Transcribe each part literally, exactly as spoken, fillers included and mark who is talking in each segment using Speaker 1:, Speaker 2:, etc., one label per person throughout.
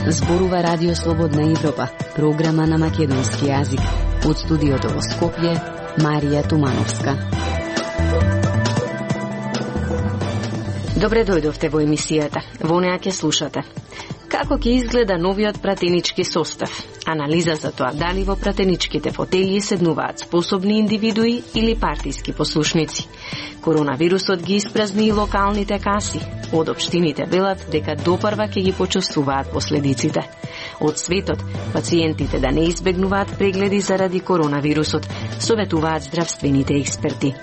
Speaker 1: Зборува Радио Слободна Европа, програма на македонски јазик. Од студиото во Скопје, Марија Тумановска. Добре дојдовте во емисијата. Во неа ќе слушате како ќе изгледа новиот пратенички состав, анализа за тоа дали во пратеничките фотели седнуваат способни индивидуи или партиски послушници. Коронавирусот ги испразни и локалните каси. Од општините велат дека допрва ќе ги почувствуваат последиците. Од светот, пациентите да не избегнуваат прегледи заради коронавирусот, советуваат здравствените експерти.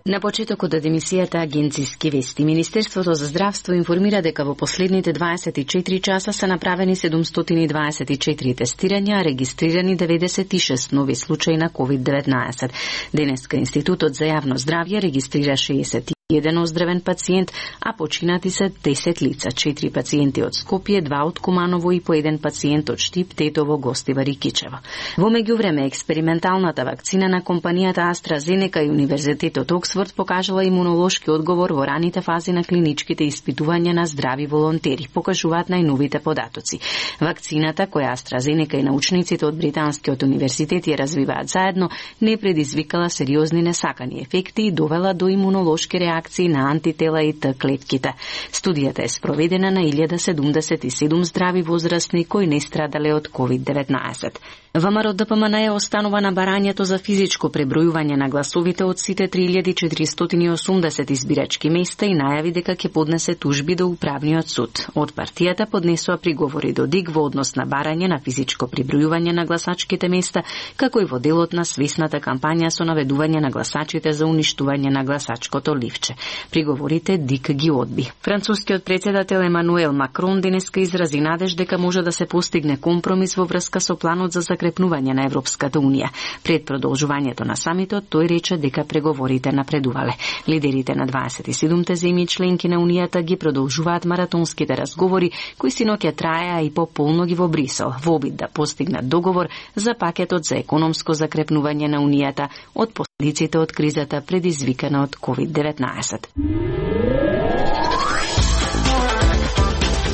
Speaker 1: На почетокот од емисијата Агенциски вести, Министерството за здравство информира дека во последните дваесет и четири часа се направени седумстотини и дваесет и четири тестирања, а регистрирани деветдесет и шест нови случаи на ковид деветнаесет. Денеска Институтот за јавно здравје регистрира шеесет и еден оздравен пациент, а починати се десет лица, четири пациенти од Скопје, два од Куманово и по еден пациент од Штип, Тетово, Гостивар и Кичево. Во меѓувреме, експерименталната вакцина на компанијата AstraZeneca и Универзитетот Оксфорд покажала имунолошки одговор во раните фази на клиничките испитувања на здрави волонтери, покажуваат најновите податоци. Вакцината, која AstraZeneca и научниците од Британскиот универзитет ја развиваат заедно, не предизвикала сериозни несакани ефекти и довела до имунолошки реакции на антитела и Т клетките. Студијата е спроведена на илјада седумдесет и седум здрави возрастни кои не страдале од ковид деветнаесет. ВМРО Д П М Н останува на барањето за физичко пребројување на гласовите од сите три илјади четиристотини и осумдесет избирачки места и најави дека ќе поднесе тужби до управниот суд. Од партијата поднесува приговори до ДИГ во однос на барање на физичко пребројување на гласачките места, како и во делот на свесната кампања со наведување на гласачите за уништување на гласачкото ливче. Приговорите ДИГ ги одби. Францускиот претседател Емануел Макрон денеска изрази надеж дека може да се постигне компромис во врска со планот за закрепнување на Европската унија. Пред продолжувањето на самитот, тој рече дека преговорите напредувале. Лидерите на дваесет и седумте земји членки на Унијата ги продолжуваат маратонските разговори, кои синоќа траеа и пополно ги во Брисел, во обид да постигнат договор за пакетот за економско закрепнување на Унијата од последиците од кризата предизвикана од ковид деветнаесет.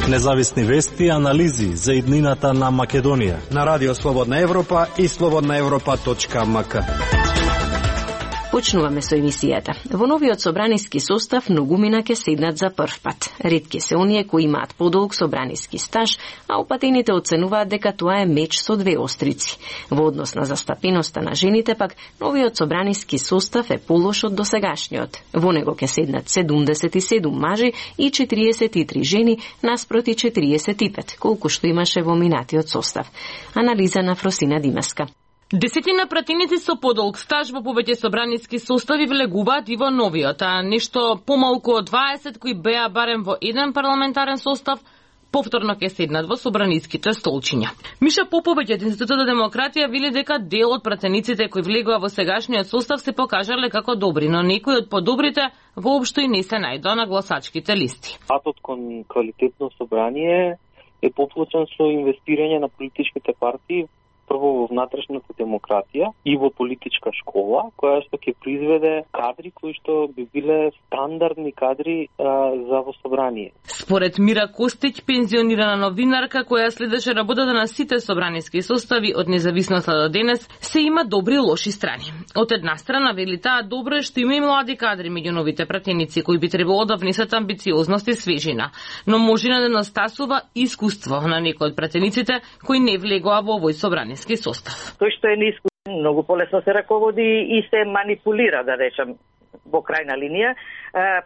Speaker 2: Независни вести и анализи за иднината на Македонија
Speaker 3: на Радио Слободна Европа и слободна европа точка м к.
Speaker 1: Почнуваме со емисијата. Во новиот собраниски состав многумина ќе седнат за прв пат. Ретки се оние кои имаат подолг собраниски стаж, а опатените оценуваат дека тоа е меч со две острици. Во однос на застапеноста на жените пак, новиот собраниски состав е полош од досегашниот. Во него ќе седнат седумдесет и седум мажи и четириесет и три жени наспроти четириесет и пет, колку што имаше во минатиот состав. Анализа на Фросина Димеска.
Speaker 4: Десетина пратеници со подолг стаж во повеќе собраниски состави влегуваат и во новиот, а нешто помалку од дваесет кои беа барем во еден парламентарен состав, повторно ќе седнат во собраниските столчиња. Миша Поповиќ од Институтот за демократија вели дека дел од пратениците кои влегува во сегашниот состав се покажале како добри, но некои од подобрите воопшто и не се најдоа на гласачките листи.
Speaker 5: Патот кон квалитетно собрание е поплочен со инвестирање на политичките партии, прво во внатрешната демократија и во политичка школа, која што ќе произведе кадри кои што би биле стандардни кадри а, за во собрание.
Speaker 4: Според Мира Костиќ, пензионирана новинарка која следеше работата на сите собраниски состави од независноста до денес, се има добри и лоши страни. Од една страна вели таа добро е што има и млади кадри меѓу новите пратеници кои би требало да внесат амбициозност и свежина, но може да недостасува искуство на некои од пратениците кои не влегоа во овој собрани состав.
Speaker 6: Тој што е неискусен, многу полесно се раководи и се манипулира, да речем, во крајна линија,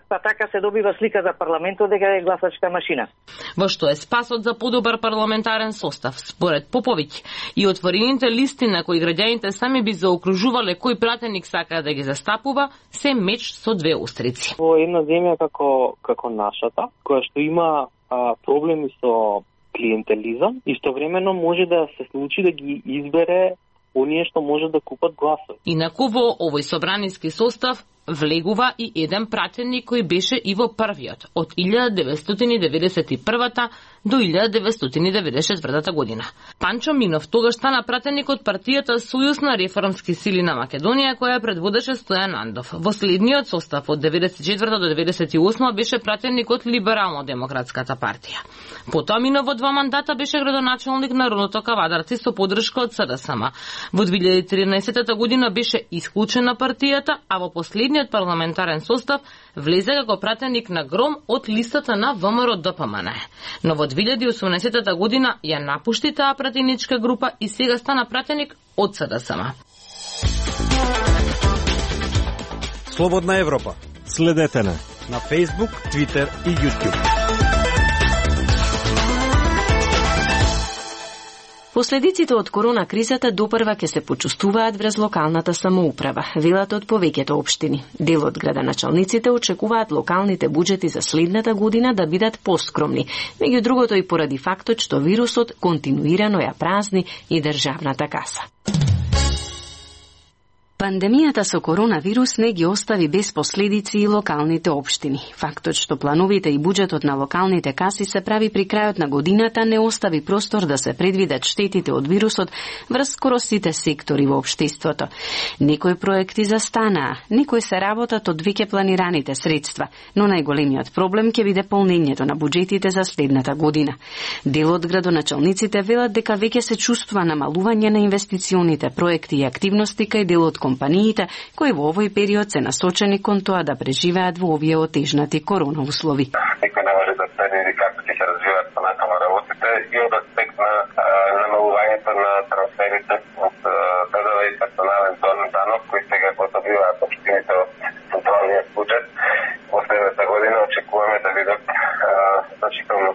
Speaker 6: па така се добива слика за парламентот дека е гласачка машина.
Speaker 4: Во што е спасот за подобар парламентарен состав, според Поповиќ, и отворените листи на кои граѓаните сами би заокружувале кој пратеник сака да ги застапува, се меч со две острици.
Speaker 5: Во една земја како како нашата, која што има а, проблеми со клиентелизам, истовремено може да се случи да ги избере оние што може да купат гласови.
Speaker 4: Инаку во овој собраниски состав влегува и еден пратеник кој беше и во првиот од илјада деветстотини и деветдесет и прва до илјада деветстотини и деветдесет и четврта година. Панчо Минов тогаш стана пратеник од партијата Сојуз на реформски сили на Македонија, која предводеше Стојан Андов. Во следниот состав од деветдесет и четврта до деветдесет и осма беше пратеник од Либерално-демократската партија. Потоа Минов во два мандата беше градоначалник на родното Кавадарци со поддршка од СДСМ. Во две илјади и тринаесетта година беше исклучен на партијата, а во последниот парламентарен состав влезе како пратеник на Гром од листата на ВМРО Д П М Н. Но во две илјади и осумнаесетта година ја напушти таа пратеничка група и сега стана пратеник од СДСМ.
Speaker 3: Слободна Европа.
Speaker 2: Следете не
Speaker 3: на Facebook, Twitter и YouTube.
Speaker 1: Последиците од корона кризата допрва ќе се почувствуваат врз локалната самоуправа, велат од повеќето општини. Дел од градоначалниците очекуваат локалните буџети за следната година да бидат поскромни, меѓу другото и поради фактот што вирусот континуирано ја празни и државната каса. Пандемијата со коронавирус не ги остави без последици и локалните општини. Фактот што плановите и буџетот на локалните каси се прави при крајот на годината не остави простор да се предвидат штетите од вирусот врз скоро сите сектори во општеството. Некои проекти застанаа, некои се работат од веќе планираните средства, но најголемиот проблем ќе биде полнењето на буџетите за следната година. Дел од градоначалниците велат дека веќе се чувствува намалување на инвестиционите проекти и активности кај дел од компаниите кои во овој период се насочени кон тоа да преживеат во овие отежнати корона услови.
Speaker 7: Никој не може да предвиди како ќе се развиваат понатаму работите и од аспект на намалувањето на трансферите од Д Д В и персонален данок кои сега го добиваат општините од централниот буџет. Во следната година очекуваме да бидат значително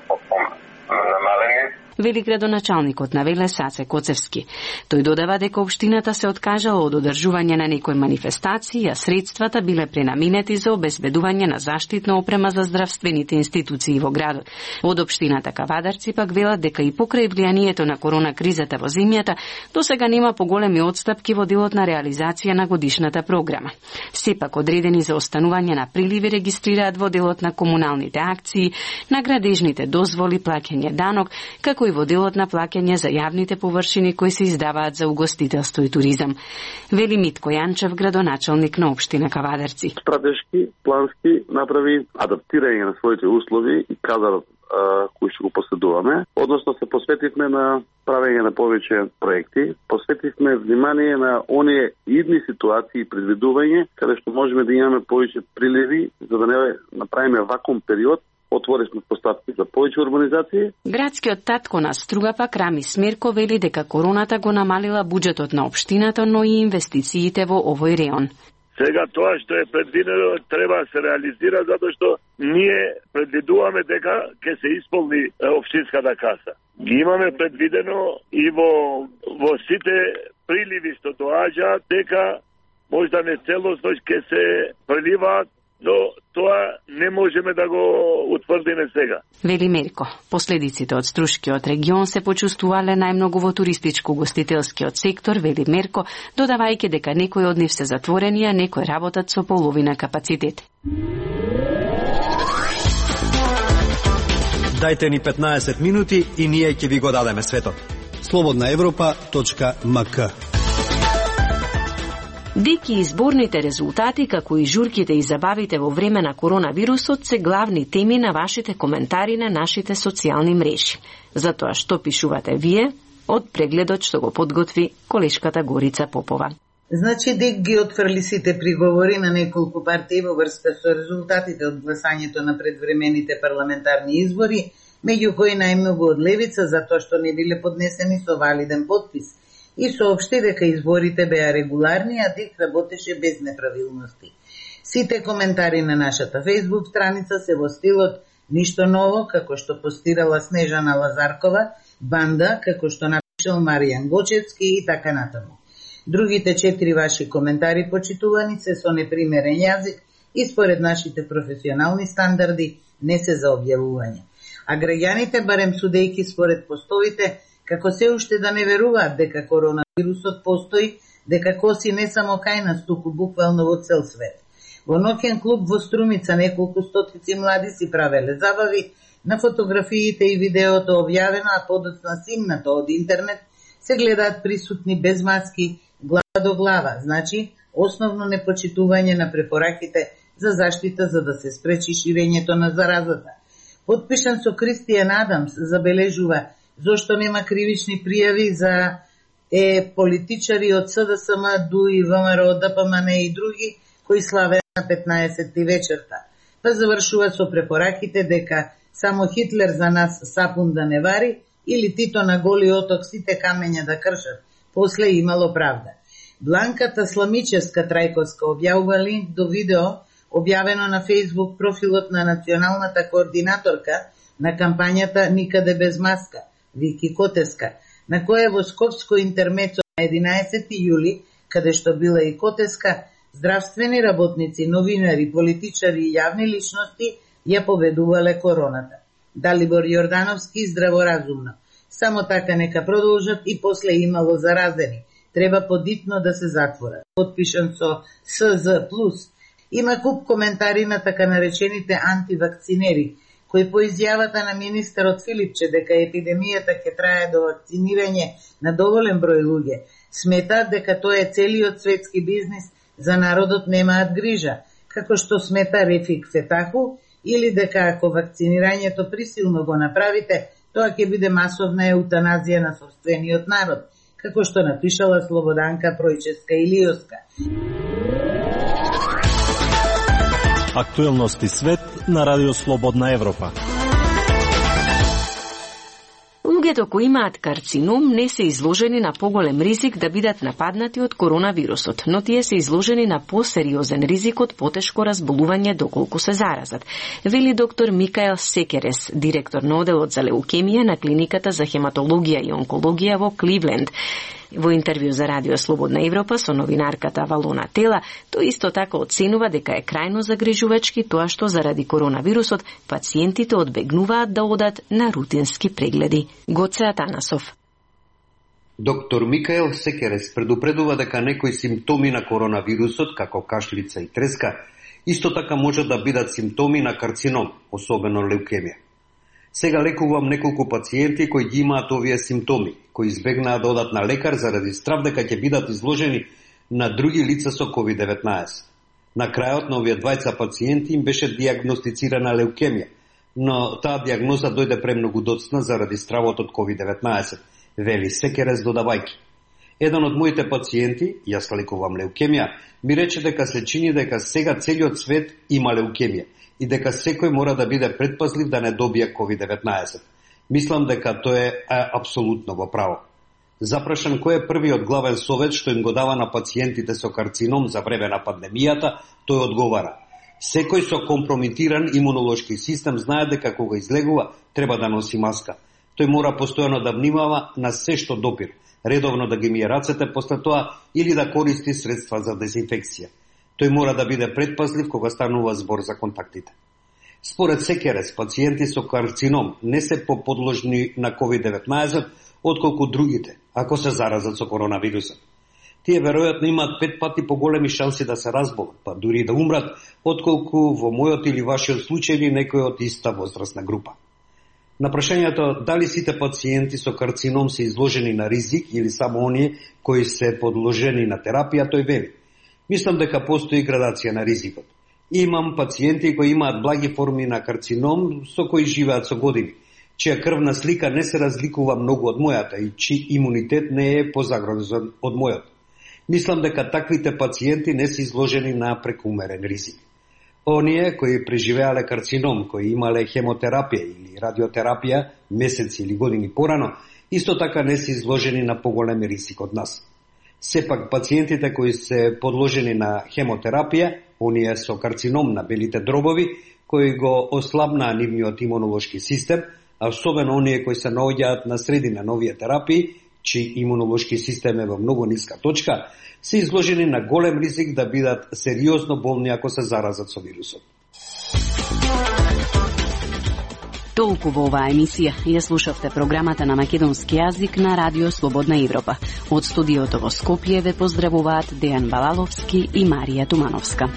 Speaker 7: намалени.
Speaker 1: Вели градоначалникот на Велес Саце Коцевски. Тој додава дека општината се откажала од одржување на некои манифестации, а средствата биле пренаменети за обезбедување на заштитна опрема за здравствените институции во градот. Од општината Кавадарци пак велат дека и покрај влијанието на корона кризата во земјата, досега нема поголеми отстапки во делот на реализација на годишната програма. Сепак одредени за останување на приливи регистрираат во делот на комуналните акции, на градежните дозволи, плаќање данок, како и во делот на плаќање за јавните површини кои се издаваат за угостителство и туризам. Вели Митко Јанчев, градоначалник на општина Кавадарци.
Speaker 8: Стратешки, плански направи адаптирање на своите услови и кадарот кои што го поседуваме. Односно се посветивме на правење на повеќе проекти, посветивме внимание на оние идни ситуации и предвидување каде што можеме да имаме повеќе приливи за да не направиме вакуум период. Отворивме поставки за повеќе урбанизација.
Speaker 1: Градскиот татко на Струга пак Рами Смерко вели дека короната го намалила буџетот на општината, но и инвестициите во овој реон.
Speaker 9: Сега тоа што е предвидено треба да се реализира затоа што ние предвидуваме дека ќе се исполни општинската каса. Ги имаме предвидено и во во сите приливи што доаѓаат дека можда не целосно ќе се преливаат, но тоа не можеме да го утврдиме сега.
Speaker 1: Вели Мерко, последиците од Струшкиот регион се почувствувале најмногу во туристичко-гостителскиот сектор, вели Мерко, додавајќи дека некои од нив се затворени, а некои работат со половина капацитет.
Speaker 3: Дајте ни петнаесет минути и ние ќе ви го дадеме светот. слободна европа точка м к.
Speaker 1: Деки изборните резултати, како и журките и забавите во време на коронавирусот се главни теми на вашите коментари на нашите социјални мрежи. Затоа што пишувате вие од прегледот што го подготви колешката Горица Попова.
Speaker 10: Значи ДЕК ги отфрли сите приговори на неколку партии во врска со резултатите од гласањето на предвремените парламентарни избори, меѓу кои најмногу од левица затоа што не биле поднесени со валиден потпис, и соопшти дека изборите беа регуларни, а ДЕК работеше без неправилности. Сите коментари на нашата фејсбук страница се во стилот ништо ново, како што постирала Снежана Лазаркова, банда, како што напишал Маријан Гочевски и така натаму. Другите четири ваши коментари, почитувани, се со непримерен јазик и според нашите професионални стандарди не се за објавување. А граѓаните, барем судејки според постовите, како се уште да не веруваат дека коронавирусот постои, дека коси не само кај нас, туку буквално во цел свет. Во ноќен клуб во Струмица неколку стотици млади си правеле забави. На фотографиите и видеото објавено, а подоцна снимнато од интернет, се гледаат присутни без маски, глава до глава, значи основно непочитување на препораките за заштита за да се спречи ширењето на заразата. Подпишан со Кристијан Адамс забележува зошто нема кривични пријави за е политичари од С Д С М, Д У И, В М Р О, Д П М Н и други кои славе на петнаесетти вечерта. Па завршува со препораките дека само Хитлер за нас сапун да не вари или Тито на Голи оток сите камења да кршат. После имало правда. Бланката Сламичевска Трајковска објавува линк до видео објавено на Facebook профилот на националната координаторка на кампањата Никаде без маска, Вики Котеска, на која во Скопско интермецо на единаесетти јули, каде што била и Котеска, здравствени работници, новинари, политичари и јавни личности ја победувале короната. Далибор Јордановски здраворазумно. Само така нека продолжат и после имало заразени. Треба подитно да се затворат. Подпишан со С З плюс. Има куп коментари на така наречените антивакцинери, кои по изјавата на министерот Филипче дека епидемијата ќе трае до вакцинирање на доволен број луѓе, сметаат дека тоа е целиот светски бизнис, за народот немаат грижа, како што смета Рефик Фетаху, или дека ако вакцинирањето присилно го направите, тоа ќе биде масовна еутаназија на собствениот народ, како што напишала Слободанка Пројческа Илиоска.
Speaker 2: Актуелности свет на Радио Слободна Европа.
Speaker 1: Луѓето кои имаат карцином не се изложени на поголем ризик да бидат нападнати од коронавирусот, но тие се изложени на посериозен ризик од потешко разболување доколку се заразат, вели доктор Микаел Секерес, директор на оделот за леукемија на клиниката за хематологија и онкологија во Кливленд. Во интервју за Радио Слободна Европа со новинарката Валона Тела, тој исто така оценува дека е крајно загрижувачки тоа што заради коронавирусот пациентите одбегнуваат да одат на рутински прегледи. Гоце Атанасов.
Speaker 11: Доктор Микаел Секерес предупредува дека некои симптоми на коронавирусот, како кашлица и треска, исто така може да бидат симптоми на карцином, особено леукемија. Сега лекувам неколку пациенти кои ги имаат овие симптоми, кои избегнаа да одат на лекар заради страв дека ќе бидат изложени на други лица со ковид деветнаесет. На крајот на овие двајца пациенти им беше диагностицирана леукемија, но таа диагноза дојде премногу доцна заради стравот од ковид деветнаесет, вели Секерес додавајќи. Еден од моите пациенти, јас лекувам леукемија, ми рече дека се чини дека сега целиот свет има леукемија и дека секој мора да биде предпазлив да не добие ковид деветнаесет. Мислам дека тоа е апсолутно во право. Запрашан кој е првиот главен совет што им го дава на пациентите со карцином за време на пандемијата, тој одговара: секој со компромитиран имунолошки систем знае дека кога излегува треба да носи маска. Тој мора постојано да внимава на се што допир, редовно да ги мие рацете после тоа или да користи средства за дезинфекција. Тој мора да биде предпазлив кога станува збор за контактите. Според Секерес, пациенти со карцином не се поподложни на ковид деветнаесет отколку другите, ако се заразат со коронавирусот. Тие веројатно имаат пет пати поголеми шанси да се разболат, па дури да умрат, отколку во мојот или вашиот случај или некој од иста возрастна група. На прашањето дали сите пациенти со карцином се изложени на ризик или само оние кои се подложени на терапија, тој вели: мислам дека постои градација на ризикот. Имам пациенти кои имаат благи форми на карцином со кои живеат со години, чија крвна слика не се разликува многу од мојата и чиј имунитет не е позагрозен од мојот. Мислам дека таквите пациенти не се изложени на прекумерен ризик. Оние кои преживеале карцином, кои имале хемотерапија или радиотерапија месеци или години порано, исто така не се изложени на поголем ризик од нас. Сепак пациентите кои се подложени на хемотерапија, оние со карцином на белите дробови, кои го ослабнаа нивниот имунолошки систем, а особено оние кои се наоѓаат на средина на овие терапии, чиј имунолошки систем е во многу ниска точка, се изложени на голем ризик да бидат сериозно болни ако се заразат со вирусот.
Speaker 12: Толку во оваа емисија ја слушавте програмата на македонски јазик на Радио Слободна Европа. Од студиото во Скопје ве поздравуваат Дејан Балаловски и Марија Тумановска.